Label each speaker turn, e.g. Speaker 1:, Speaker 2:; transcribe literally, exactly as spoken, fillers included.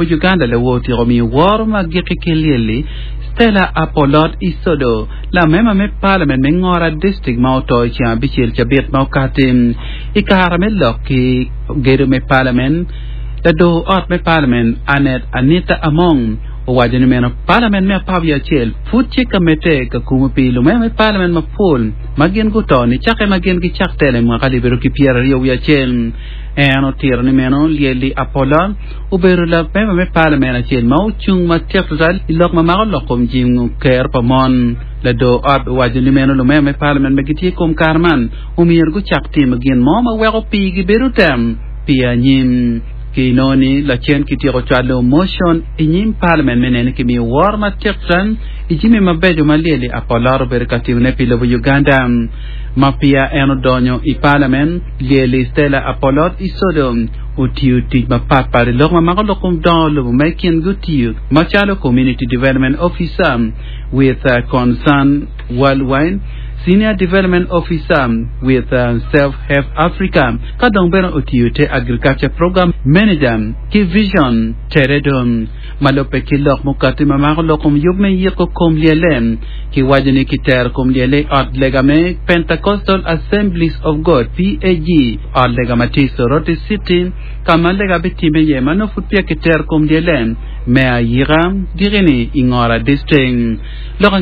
Speaker 1: Uganda lawo otyeko miyo woro ma giki ki lyelli Stella Apolot Isodo lamema me parliament me Ngora District ma oto i ceng abicel cabit ma okati i kare me lok ki gedo me parliament lador ot me parliament Anet Anita Among owaco ni meno parliament me apar wiye acel pud tye ka medde ka kumo pi lumema me parliament mapol ma gin guto ni cake ma gin gicak telo i mwaka alip aryo ki pyeraryo wiye acel en otiro ni meno lyelli Apolot obedo lamema me parliament acel ma ocung matek tutwal i lok ma mako lok kom jingo ker pa mon lador ot owaco ni meno lumema me parliament ma gitye kom kare man omyero gucak timo gin mo ma weko pigi bedo tem pi anyim ki noni lacen kityeko cwalo motion i nyim parliament me neno kimiyo woro matek tutwal i jami mabeco ma lyelli Apolot obedo ka timone pi lobo Uganda ma peya en odonyo i parliament lyelli Stella Apolot Isodo otiyo tic mapatpat i lok ma mako lok kom dongo lobo ma i kingi otiyo macalo Community Development Officer with uh, Concern Worldwide Senior Development Officer with uh, Self Help Africa ka dong bene otiyo te Agriculture Program Manager ki Vision Teredo ma lubbe ki lok mukati ma mako lok kom yub me yiko kom lyelle ki waco ni kitero kom lyelle i ot lega me Pentecostal Assemblies of God PAG ot lega ma tye i Soroti City ka ma lega bitime iye ma nongo pud peya kitero kom lyelle me ayika diki-ni i Ngora District lok